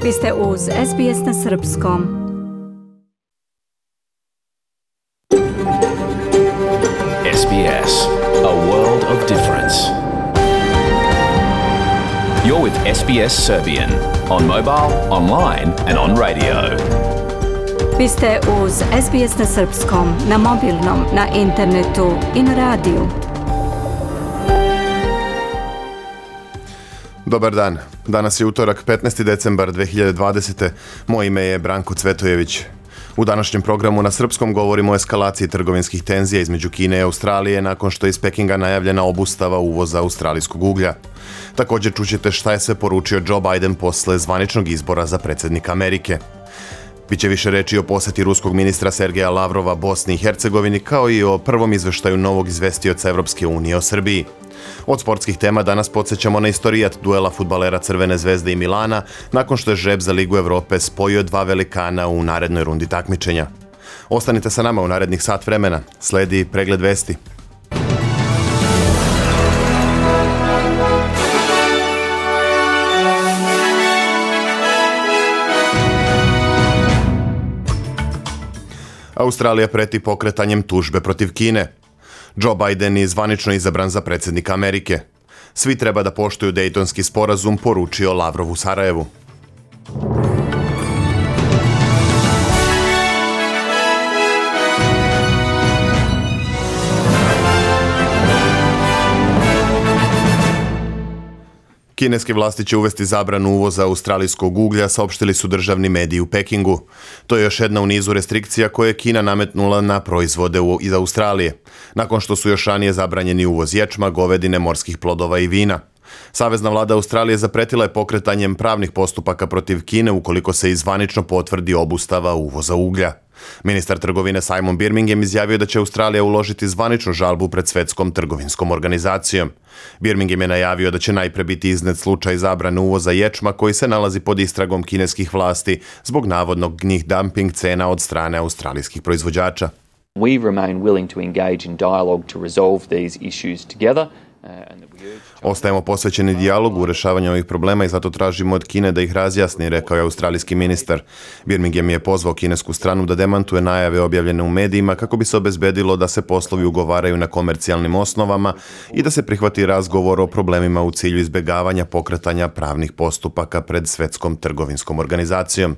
Vi ste uz SBS na srpskom. SBS, a world of difference. You're with SBS Serbian on mobile, online and on radio. Vi ste uz SBS na srpskom, na mobilnom, na internetu i na radiju. Dobar dan. Danas je utorak, 15. decembar 2020. Moje ime je Branko Cvetojević. U današnjem programu na srpskom govorimo o eskalaciji trgovinskih tenzija između Kine i Australije nakon što je iz Pekinga najavljena obustava uvoza australijskog uglja. Također čućete šta je sve poručio Joe Biden posle zvaničnog izbora za predsjednika Amerike. Biće više reči o posjeti ruskog ministra Sergeja Lavrova Bosni i Hercegovini, kao i o prvom izveštaju novog izvestioca Evropske unije o Srbiji. Od sportskih tema danas podsjećamo na istorijat duela fudbalera Crvene zvezde i Milana, nakon što je žreb za Ligu Evrope spojio dva velikana u narednoj rundi takmičenja. Ostanite sa nama u narednih sat vremena. Sledi pregled vesti. Australija preti pokretanjem tužbe protiv Kine. Joe Biden je zvanično izabran za predsjednika Amerike. Svi treba da poštuju Dejtonski sporazum, poručio Lavrov u Sarajevu. Kineske vlasti će uvesti zabranu uvoza australijskog uglja, saopštili su državni mediji u Pekingu. To je još jedna u nizu restrikcija koje je Kina nametnula na proizvode iz Australije, nakon što su još ranije zabranjeni uvoz ječma, govedine, morskih plodova i vina. Savezna vlada Australije zapretila je pokretanjem pravnih postupaka protiv Kine ukoliko se izvanično potvrdi obustava uvoza uglja. Ministar trgovine Simon Birmingham izjavio da će Australija uložiti zvaničnu žalbu pred Svetskom trgovinskom organizacijom. Birmingham je najavio da će najpre biti iznet slučaj zabrane uvoza ječma koji se nalazi pod istragom kineskih vlasti zbog navodnog dumping cena od strane australijskih proizvođača. We remain willing to engage in dialogue to resolve these issues together. Ostajemo posvećeni dijalogu u rješavanju ovih problema i zato tražimo od Kine da ih razjasni, rekao je australijski ministar. Birmingham je pozvao kinesku stranu da demantuje najave objavljene u medijima kako bi se obezbedilo da se poslovi ugovaraju na komercijalnim osnovama i da se prihvati razgovor o problemima u cilju izbjegavanja pokretanja pravnih postupaka pred Svetskom trgovinskom organizacijom.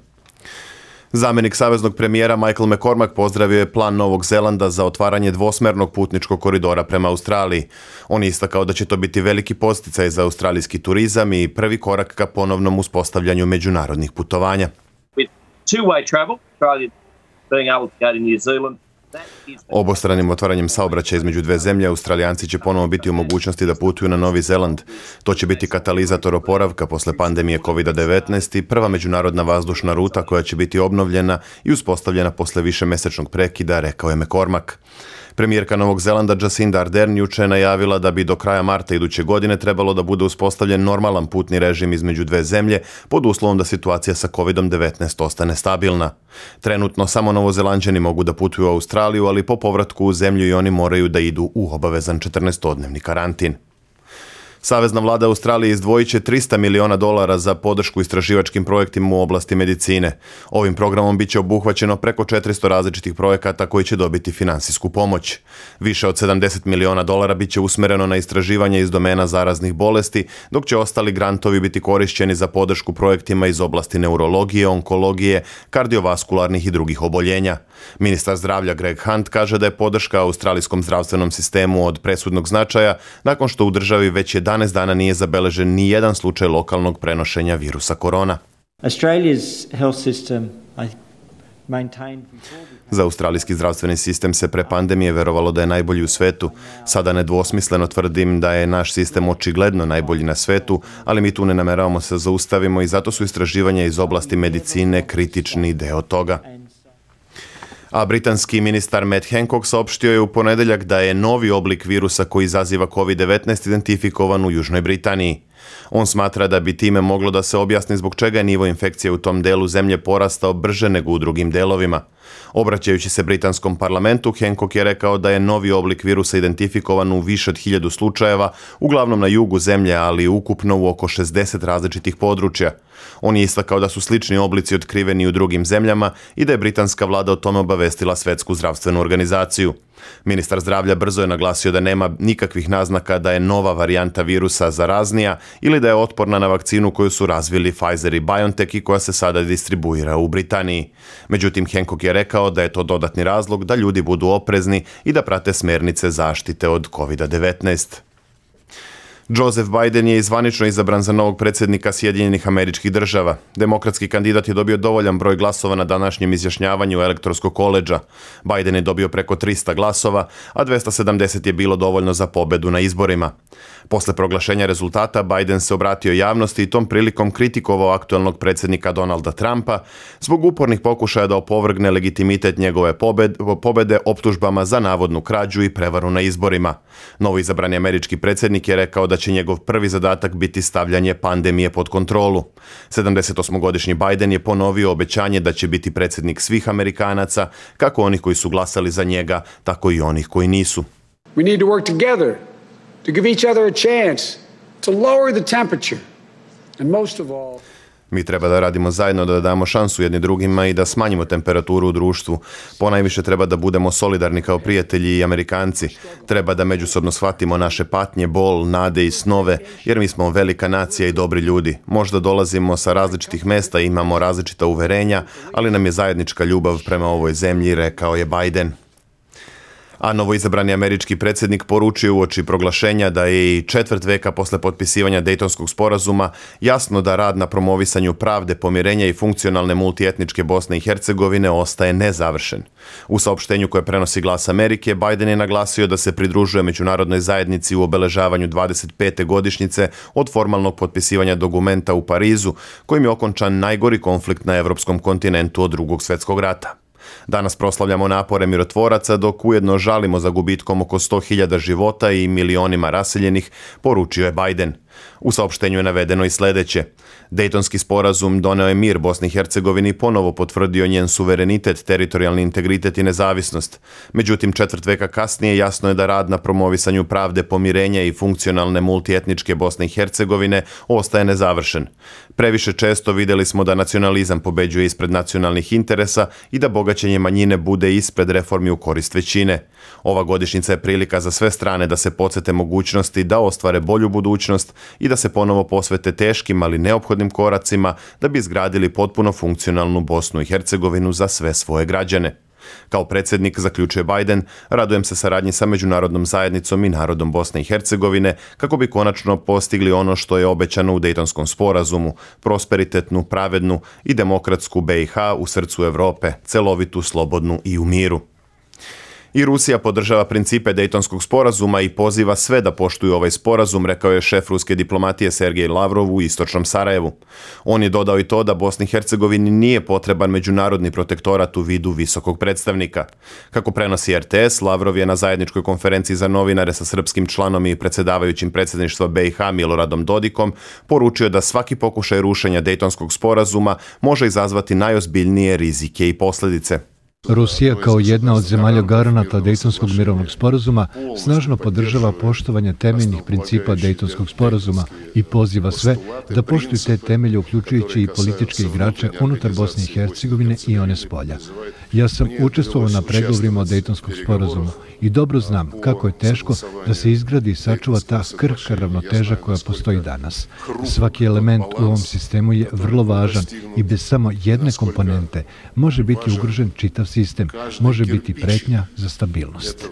Zamjenik saveznog premijera Michael McCormack pozdravio je plan Novog Zelanda za otvaranje dvosmernog putničkog koridora prema Australiji. On je istakao da će to biti veliki podsticaj za australijski turizam i prvi korak ka ponovnom uspostavljanju međunarodnih putovanja. Obostranim otvaranjem saobraćaja između dve zemlje, Australijanci će ponovo biti u mogućnosti da putuju na Novi Zeland. To će biti katalizator oporavka posle pandemije COVID-19 i prva međunarodna vazdušna ruta koja će biti obnovljena i uspostavljena posle višemesečnog prekida, rekao je McCormack. Premijerka Novog Zelanda Jacinda Ardern juče je najavila da bi do kraja marta iduće godine trebalo da bude uspostavljen normalan putni režim između dve zemlje pod uslovom da situacija sa COVID-19 ostane stabilna. Trenutno samo Novozelanđani mogu da putuju u Australiju, ali po povratku u zemlju i oni moraju da idu u obavezan 14-dnevni karantin. Savezna vlada Australije izdvojit će $300 miliona za podršku istraživačkim projektima u oblasti medicine. Ovim programom biće obuhvaćeno preko 400 različitih projekata koji će dobiti finansijsku pomoć. Više od $70 miliona biće usmereno na istraživanje iz domena zaraznih bolesti, dok će ostali grantovi biti korišćeni za podršku projektima iz oblasti neurologije, onkologije, kardiovaskularnih i drugih oboljenja. Ministar zdravlja Greg Hunt kaže da je podrška australijskom zdravstvenom sistemu od presudnog značaja nakon što u državi već 11 dana nije zabeležen ni jedan slučaj lokalnog prenošenja virusa korona. Za australijski zdravstveni sistem se pre pandemije verovalo da je najbolji u svetu. Sada nedvosmisleno tvrdim da je naš sistem očigledno najbolji na svetu, ali mi tu ne nameravamo se zaustavimo i zato su istraživanja iz oblasti medicine kritični deo toga. A britanski ministar Matt Hancock saopštio je u ponedeljak da je novi oblik virusa koji izaziva COVID-19 identifikovan u Južnoj Britaniji. On smatra da bi time moglo da se objasni zbog čega je nivo infekcije u tom delu zemlje porastao brže nego u drugim delovima. Obraćajući se britanskom parlamentu, Hancock je rekao da je novi oblik virusa identifikovan u više od 1000 slučajeva, uglavnom na jugu zemlje, ali ukupno u oko 60 različitih područja. On je istakao da su slični oblici otkriveni u drugim zemljama i da je britanska vlada o tome obavestila Svetsku zdravstvenu organizaciju. Ministar zdravlja brzo je naglasio da nema nikakvih naznaka da je nova varijanta virusa zaraznija ili da je otporna na vakcinu koju su razvili Pfizer i BioNTech i koja se sada distribuira u Britaniji. Međutim, Hancock je rekao da je to dodatni razlog da ljudi budu oprezni i da prate smjernice zaštite od COVID-19. Joseph Biden je zvanično izabran za novog predsjednika Sjedinjenih Američkih Država. Demokratski kandidat je dobio dovoljan broj glasova na današnjem izjašnjavanju elektorskog koledža. Biden je dobio preko 300 glasova, a 270 je bilo dovoljno za pobedu na izborima. Posle proglašenja rezultata, Biden se obratio javnosti i tom prilikom kritikovao aktualnog predsjednika Donalda Trumpa zbog upornih pokušaja da opovrgne legitimitet njegove pobede optužbama za navodnu krađu i prevaru na izborima. Novo izabrani američki predsjednik je rekao da će njegov prvi zadatak biti stavljanje pandemije pod kontrolu. 78-godišnji Biden je ponovio obećanje da će biti predsjednik svih Amerikanaca, kako onih koji su glasali za njega, tako i onih koji nisu. We need to work together to give each other a chance to lower the temperature. And most of all, mi treba da radimo zajedno, da damo šansu jedni drugima i da smanjimo temperaturu u društvu. Ponajviše treba da budemo solidarni kao prijatelji i Amerikanci. Treba da međusobno shvatimo naše patnje, bol, nade i snove, jer mi smo velika nacija i dobri ljudi. Možda dolazimo sa različitih mesta i imamo različita uverenja, ali nam je zajednička ljubav prema ovoj zemlji, rekao je Biden. A novoizabrani američki predsjednik poručio uoči proglašenja da je i četvrt veka posle potpisivanja Dejtonskog sporazuma jasno da rad na promovisanju pravde, pomirenja i funkcionalne multietničke Bosne i Hercegovine ostaje nezavršen. U saopštenju koje prenosi Glas Amerike, Biden je naglasio da se pridružuje međunarodnoj zajednici u obeležavanju 25. godišnjice od formalnog potpisivanja dokumenta u Parizu, kojim je okončan najgori konflikt na evropskom kontinentu od Drugog svjetskog rata. Danas proslavljamo napore mirotvoraca, dok ujedno žalimo za gubitkom oko 100.000 života i milionima raseljenih, poručio je Biden. U saopštenju je navedeno i sljedeće. Dejtonski sporazum doneo je mir Bosni i Hercegovini i ponovo potvrdio njen suverenitet, teritorijalni integritet i nezavisnost. Međutim, četvrt veka kasnije jasno je da rad na promovisanju pravde, pomirenja i funkcionalne multietničke Bosne i Hercegovine ostaje nezavršen. Previše često vidjeli smo da nacionalizam pobeđuje ispred nacionalnih interesa i da bogaćenje manjine bude ispred reformi u korist većine. Ova godišnjica je prilika za sve strane da se podsjete mogućnosti da ostvare bolju budućnost i da se ponovo posvete teškim, ali neophodnim koracima da bi izgradili potpuno funkcionalnu Bosnu i Hercegovinu za sve svoje građane. Kao predsjednik, zaključuje Biden, radujem se saradnji sa međunarodnom zajednicom i narodom Bosne i Hercegovine kako bi konačno postigli ono što je obećano u Dejtonskom sporazumu, prosperitetnu, pravednu i demokratsku BiH u srcu Europe, celovitu, slobodnu i u miru. I Rusija podržava principe Dejtonskog sporazuma i poziva sve da poštuju ovaj sporazum, rekao je šef ruske diplomatije Sergej Lavrov u istočnom Sarajevu. On je dodao i to da Bosni i Hercegovini nije potreban međunarodni protektorat u vidu visokog predstavnika. Kako prenosi RTS, Lavrov je na zajedničkoj konferenciji za novinare sa srpskim članom i predsjedavajućim predsjedništva BiH Miloradom Dodikom poručio da svaki pokušaj rušenja Dejtonskog sporazuma može izazvati najozbiljnije rizike i posljedice. Rusija kao jedna od zemalja garanata Dejtonskog mirovnog sporazuma snažno podržava poštovanje temeljnih principa Dejtonskog sporazuma i poziva sve da poštuju te temelje, uključujući i političke igrače unutar Bosne i Hercegovine i one spolja. Ja sam učestvovao na pregovorima o Dejtonskom sporazumu i dobro znam kako je teško da se izgradi i sačuva ta krhka ravnoteža koja postoji danas. Svaki element u ovom sistemu je vrlo važan i bez samo jedne komponente može biti ugrožen čitav sistem, može biti pretnja za stabilnost.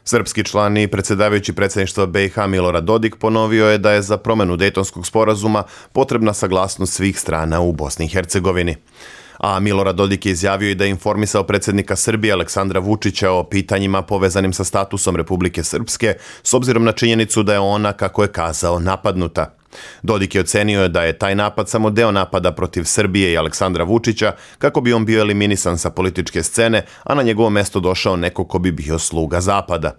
Srpski član i predsjedavajući predsjedništva BiH Milorad Dodik ponovio je da je za promjenu Dejtonskog sporazuma potrebna saglasnost svih strana u Bosni i Hercegovini. A Milorad Dodik je izjavio i da je informisao predsjednika Srbije Aleksandra Vučića o pitanjima povezanim sa statusom Republike Srpske, s obzirom na činjenicu da je ona, kako je kazao, napadnuta. Dodik je ocenio da je taj napad samo deo napada protiv Srbije i Aleksandra Vučića kako bi on bio eliminisan sa političke scene, a na njegovo mesto došao neko ko bi bio sluga Zapada.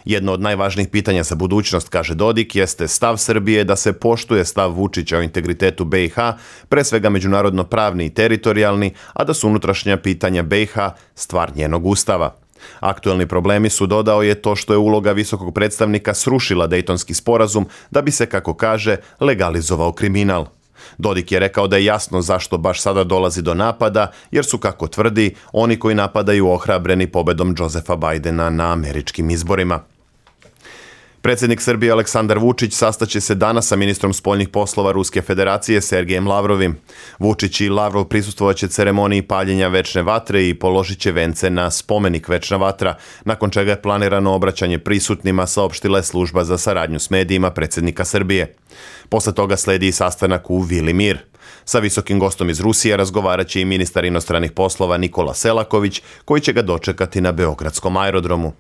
Jedno od najvažnijih pitanja za budućnost, kaže Dodik, jeste stav Srbije da se poštuje stav Vučića o integritetu BiH, pre svega međunarodno pravni i teritorijalni, a da su unutrašnja pitanja BiH stvar njenog ustava. Aktuelni problemi su, dodao je, to što je uloga visokog predstavnika srušila Dejtonski sporazum da bi se, kako kaže, legalizovao kriminal. Dodik je rekao da je jasno zašto baš sada dolazi do napada, jer su, kako tvrdi, oni koji napadaju ohrabreni pobedom Josefa Bajdena na američkim izborima. Predsjednik Srbije Aleksandar Vučić sastaće se danas sa ministrom spoljnih poslova Ruske federacije Sergejem Lavrovim. Vučić i Lavrov prisustvovaće ceremoniji paljenja večne vatre i položit će vence na spomenik Večna vatra, nakon čega je planirano obraćanje prisutnima, saopštila je služba za saradnju s medijima predsjednika Srbije. Posle toga sledi i sastanak u Vili Mir. Sa visokim gostom iz Rusije razgovarat će i ministar inostranih poslova Nikola Selaković, koji će ga dočekati na Beogradskom aerodromu.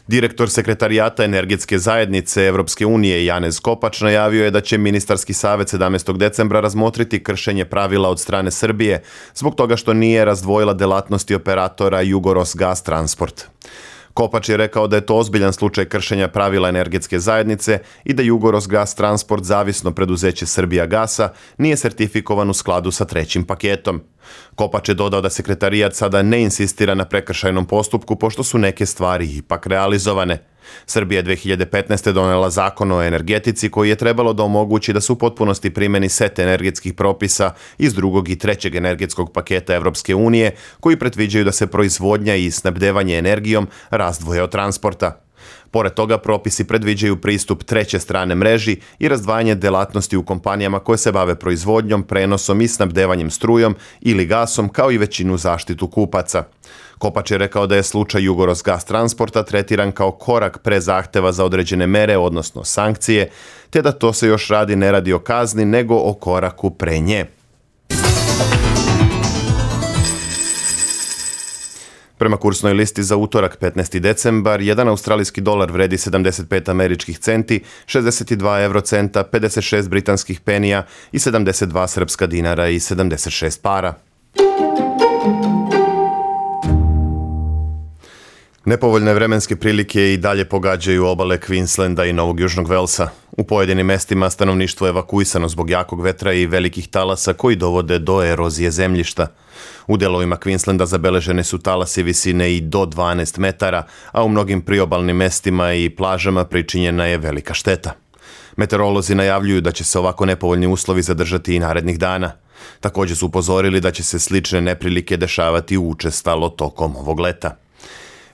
Direktor sekretarijata energetske zajednice Evropske unije Janez Kopač najavio je da će ministarski savjet 17. decembra razmotriti kršenje pravila od strane Srbije zbog toga što nije razdvojila delatnosti operatora Jugorosgas Transport. Kopač je rekao da je to ozbiljan slučaj kršenja pravila energetske zajednice i da Jugorosgas Transport, zavisno preduzeće Srbija Gasa, nije sertifikovan u skladu sa trećim paketom. Kopač je dodao da sekretarijat sada ne insistira na prekršajnom postupku pošto su neke stvari ipak realizovane. Srbija je 2015. donela zakon o energetici koji je trebalo da omogući da se u potpunosti primeni set energetskih propisa iz drugog i trećeg energetskog paketa Evropske unije koji predviđaju da se proizvodnja i snabdevanje energijom razdvoje od transporta. Pored toga, propisi predviđaju pristup treće strane mreži i razdvajanje delatnosti u kompanijama koje se bave proizvodnjom, prenosom i snabdevanjem strujom ili gasom, kao i većinu zaštitu kupaca. Kopač je rekao da je slučaj Jugorosgas Transporta tretiran kao korak pre zahteva za određene mere, odnosno sankcije, te da to se još ne radi o kazni, nego o koraku pre nje. Prema kursnoj listi za utorak 15. decembar, jedan australijski dolar vredi 75 američkih centi, 62 eurocenta, 56 britanskih penija i 72 srpska dinara i 76 para. Nepovoljne vremenske prilike i dalje pogađaju obale Queenslanda i Novog Južnog Velsa. U pojedinim mestima stanovništvo je evakuisano zbog jakog vetra i velikih talasa koji dovode do erozije zemljišta. U delovima Queenslanda zabeležene su talasi visine i do 12 metara, a u mnogim priobalnim mestima i plažama pričinjena je velika šteta. Meteorolozi najavljuju da će se ovako nepovoljni uslovi zadržati i narednih dana. Također su upozorili da će se slične neprilike dešavati učestalo tokom ovog leta.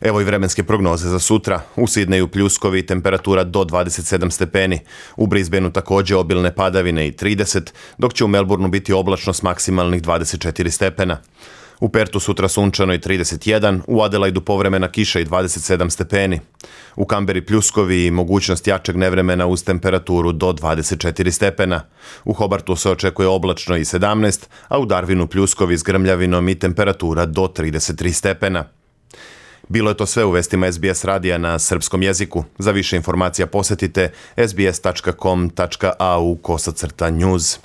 Evo i vremenske prognoze za sutra. U Sidneju pljuskovi, temperatura do 27 stepeni. U Brisbaneu također obilne padavine i 30, dok će u Melbourneu biti oblačno s maksimalnih 24 stepena. U Pertu sutra sunčano i 31, u Adelaidu povremena kiša i 27 stepeni. U Kamberi pljuskovi i mogućnost jačeg nevremena uz temperaturu do 24 stepena. U Hobartu se očekuje oblačno i 17, a u Darwinu pljuskovi s grmljavinom i temperatura do 33 stepena. Bilo je to sve u vestima SBS radija na srpskom jeziku. Za više informacija posjetite sbs.com.au/news.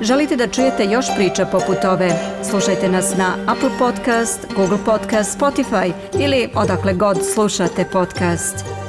Želite da čujete još priča poput ove? Slušajte nas na Apple Podcast, Google Podcast, Spotify ili odakle god slušate podcast.